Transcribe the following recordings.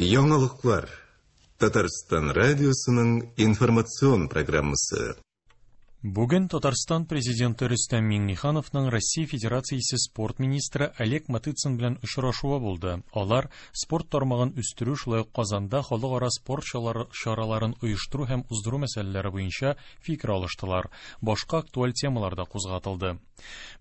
Яңалыклар. Татарстан радиосының информацион программасы. Бүген Татарстан Президенты Рөстәм Миңнехановның Россия Федерациясе спорт министры Олег Матыцин белән очрашуы булды. Алар спорт тармагын үстерү, шулай ук Казанда халыкара спорт чараларын оештыру һәм уздыру мәсьәләләре буенча фикер алыштылар. Башка актуаль темалар да кузгатылды.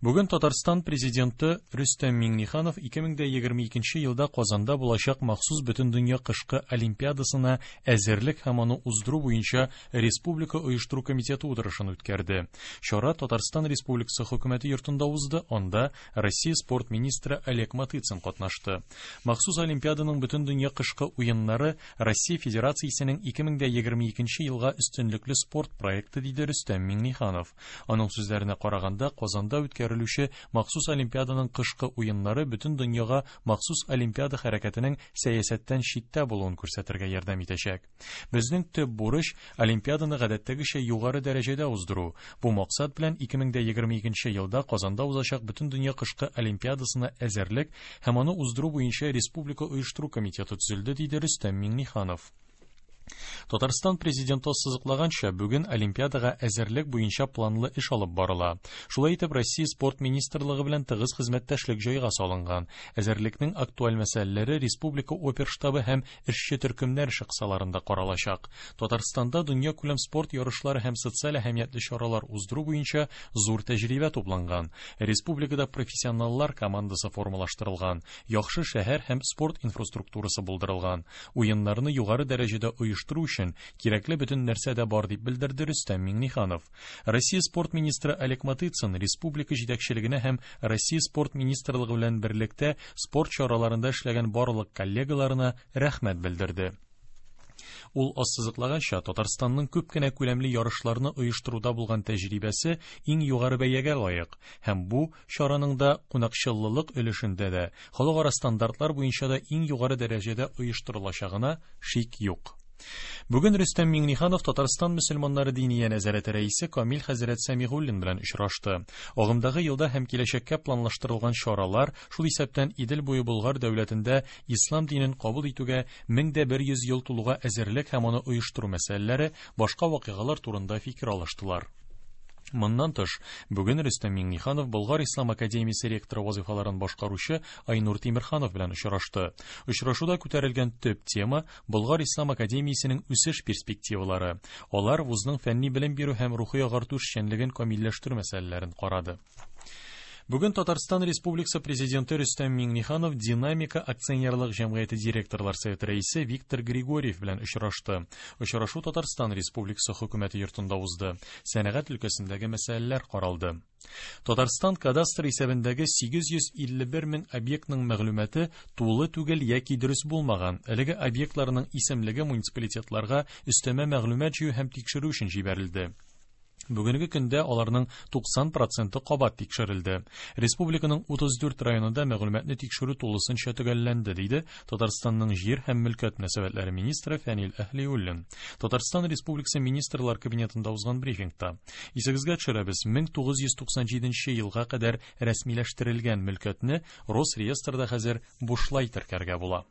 Бүген Татарстан Президенты Рөстәм Миңнеханов 2022 елда Казанда булачак махсус Бөтендөнья кышкы олимпиадасына әзерлек һәм аны уздыру буенча Республика оештыру комитеты утырышын үткәрде. Чара Татарстан Республикасы Хөкүмәте йортында узды, анда Россия спорт министры Олег Матыцин катнашты. Махсус олимпиаданың Бөтендөнья кышкы уеннары Россия Федерациясенең 2022 елга өстенлекле спорт проекты, диде Рөстәм Миңнеханов. Аның сүзләренә караганда, Казанда үткәрелүче махсус олимпиаданың кышкы уеннары бөтен дөньяга махсус олимпиада хәрәкәтенең сәясәттән читтә булуын күрсәтергә ярдәм итәчәк. Безнең төп бурыч олимпиаданы гадәттәгечә югары дәрәҗәдә уздыру. Бу максат белән 2022 елда Казанда узачак Бөтендөнья кышкы олимпиадасына әзерлек һәм аны уздыру буенча Республика оештыру комитеты төзелде, диде Рөстәм Миңнеханов. Татарстан Президенты ассызыклаганча, бүген Олимпиадага әзерлек буенча планлы эш алып барыла. Шулай итеп, Россия спорт министрлыгы белән тыгыз хезмәттәшлек җайга салынган. Әзерлекнең актуаль мәсьәләләре республика оперштабы һәм эшче төркемнәр эше кысаларында каралачак. Татарстанда дөньякүләм спорт ярышлары һәм социаль әһәмиятле чаралар уздыру буенча зур тәҗрибә тупланган. Республикада профессионаллар командасы формалаштырылган, яхшы шәһәр һәм спорт инфраструктурасы булдырылган. Уеннарны югары дәрәҗәдә оештыру өчен кирәкле бөтен нәрсә дә бар, дип белдерде Рөстәм Миңнеханов. Россия спорт министры Олег Матыцин республика җитәкчелегенә һәм Россия спорт министрлыгы белән берлектә спорт чараларында эшләгән барлык коллегаларына рәхмәт белдерде. Ул ассызыклаганча, Татарстанның күп кенә күләмле ярышларны оештыруда булган тәҗрибәсе иң югары бәягә лаек һәм бу чараның да кунакчыллылык өлешендә дә, халыкара стандартлар буенча да иң югары дәрәҗәдә оештырылачагына шик юк. Бүген Рөстәм Миңнеханов Татарстан мөселманнары диния нәзарәте рәисе Камил хәзрәт Сәмигуллин белән очрашты. Агымдагы елда һәм киләчәккә планлаштырылган чаралар, шул исәптән Идел буе Болгар дәүләтендә ислам динен кабул итүгә 1100 ел тулуга әзерлек һәм аны оештыру мәсьәләләре, башка вакыйгалар турында фикер алыштылар. Моннан тыш, бүген Рөстәм Миңнеханов Болгар ислам академиясе ректоры вазыйфаларын башкаручы Айнур Тимерханов белән очрашты. Очрашуда күтәрелгән төп тема Болгар ислам академиясенең үсеш перспективалары. Алар вузның фәнни белем бирү һәм рухи агарту эшчәнлеген камилләштерү мәсьәләләрен карады. Бүген Татарстан Республикасы Президенты Рөстәм Миңнеханов Динамика акционерлык җәмгыяте директорлар советы рәисе Виктор Григорьев белән очрашты. Очрашу Татарстан Республикасы хөкүмәте йортында узды. Сәнәгать өлкәсендәге мәсьәләләр каралды. Татарстан кадастр исәбендәге 851 мең объектның мәгълүматы тулы түгел яки дөрес булмаган. Әлеге объектларның исемлеге муниципалитетларга өстәмә мәгълүмат җыю һәм тикшерү өчен җибәрелде. Бүгенге көндә аларның 90 проценты кабат тикшерелде. Республиканың 34 районында мәгълүматны тикшерү тулысынча төгәлләнде, диде Татарстанның җир һәм мөлкәт мөнәсәбәтләре министры Фәнил Әһлиуллин. Татарстан Республикасы Министрлар Кабинетында узган брифингта. Исегезгә төшерәбез, 1997 елга кадәр рәсмиләштерелгән мөлкәтне Росреестрда хәзер бушлай теркәргә була.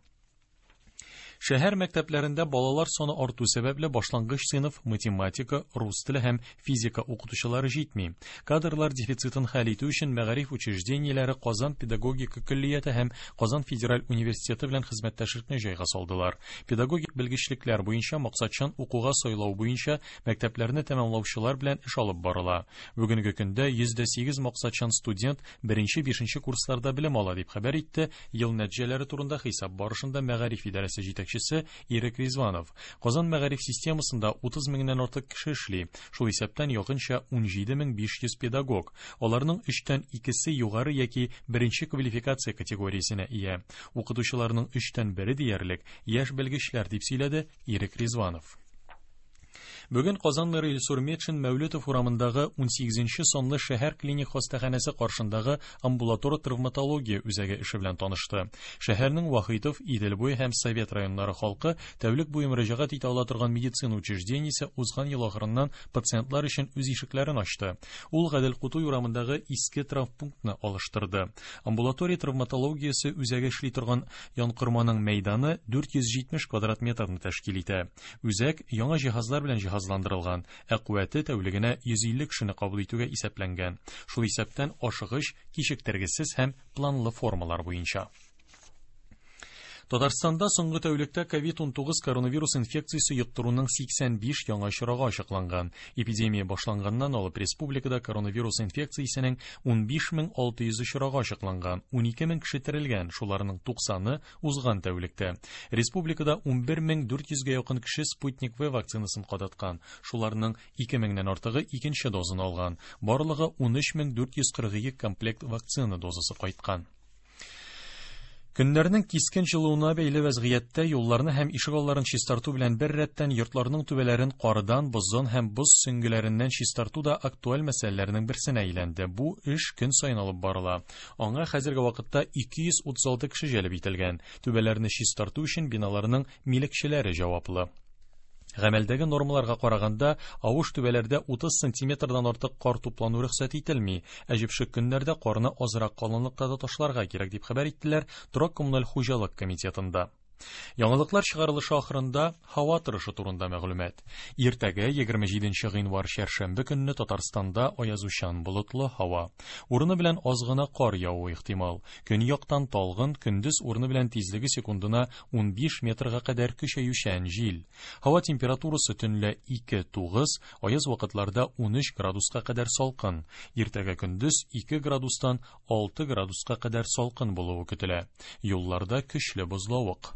Шәһәр мәктәпләрендә балалар саны арту сәбәпле башлангыч сыйныф, математика, рус теле һәм физика укытучылары җитми. Кадрлар дефицитын хәл итү өчен мәгариф учреждениеләре Казан педагогика көллияте һәм Казан федераль университеты белән хезмәттәшлекне җайга салдылар. Педагогик белгечлекләр буенча максатчан укуга сайлау буенча мәктәпләрне тәмамлаучылар белән эш алып барыла. Бүгенге көндә 108 максатчан студент беренче-бишенче курсларда белем ала, дип хәбәр итте ел нәтиҗәләре турында хисап барышында мәгариф идарәсе җитәкчесе Ирек Ризванов. Казан мәгариф системасында 30 меңнән артык кеше эшли, шул исәптән якынча 17500 педагог. Аларның өчтән икесе югары яки беренче квалификация категориясенә ия. Укытучыларның өчтән бере диярлек яшь белгечләр, дип сөйләде Ирек Ризванов. Бүген Казан мэры Илсур Метшин Мәүлетов урамындагы 18 санлы шәһәр клиник хастаханәсе каршындагы амбулатор травматология үзәге эше белән танышты. Шәһәрнең Вахитов, Идел буе һәм Совет районнары халкы тәүлек буе мөрәҗәгать итә ала торган медицина учреждениесе узган ел ахырыннан пациентлар өчен үз ишекләрен ачты. Ул Гадел Кутуй урамындагы иске травмпунктны алыштырды. Амбулатория травматологиясе үзәге эшли торган янкорманың мәйданы 470 квадрат метрны тәшкил итә. Үзәк яңа җиһазлар белән җиһазландырылган, ә куәте тәүлегенә 150 кешене кабул итүгә исәпләнгән. Шул исәптән ашыгыч, кичектергесез һәм планлы формалар буенча. Татарстанда соңгы тәүлектә COVID-19 коронавирус инфекциясе йоктыруның 85 яңа очрагы ачыкланган. Эпидемия башланганнан алып республикада коронавирус инфекциясенең 15600 очрагы ачыкланган, 12000 кеше терелгән, шуларның 90-ы узган тәүлектә. Республикада 11400гә якын кеше Спутник V вакцинасын кадаткан, шуларның 2000-нән артыгы икенче дозын алган. Барлыгы 13442 комплект вакцина дозасы кайткан. Көннәрнең кискен җылуына бәйле вәзгыятьтә юлларны һәм ишегалларын чистарту белән бер рәттән йортларның түбәләрен кардан, боздан һәм боз сөңгеләреннән чистарту да актуаль мәсьәләләрнең берсенә әйләнде. Бу эш көн саен алып барыла. Аңа хәзерге вакытта 236 кеше җәлеп ителгән. Түбәләрне чистарту өчен биналарның милекчеләре җаваплы. Гамәлдәге нормаларга караганда, авыш түбәләрдә 30 сантиметрдан артык кар туплану рөхсәт ителми. Ә җепшек көннәрдә карны азрак калынлыкта да ташларга кирәк, дип хәбәр иттеләр торак коммуналь хуҗалык комитетында. Яңалыклар чыгарылышы ахырында һава торышы турында мәгълүмат. Иртәгә 27 гыйнвар чәршәмбе көнне Татарстанда аязучан болытлы һава. Урыны белән аз гына кар явуы ихтимал. Көньяктан талгын, көндез урыны белән тизлеге секундына 15 метрга кадәр көчәючән җил. Һава температурасы төнлә 2-9, аяз вакытларда 13 градуска кадәр салкын. Иртәгә көндез 2 градустан 6 градуска кадәр салкын булуы көтелә. Юлларда көчле бозлавык.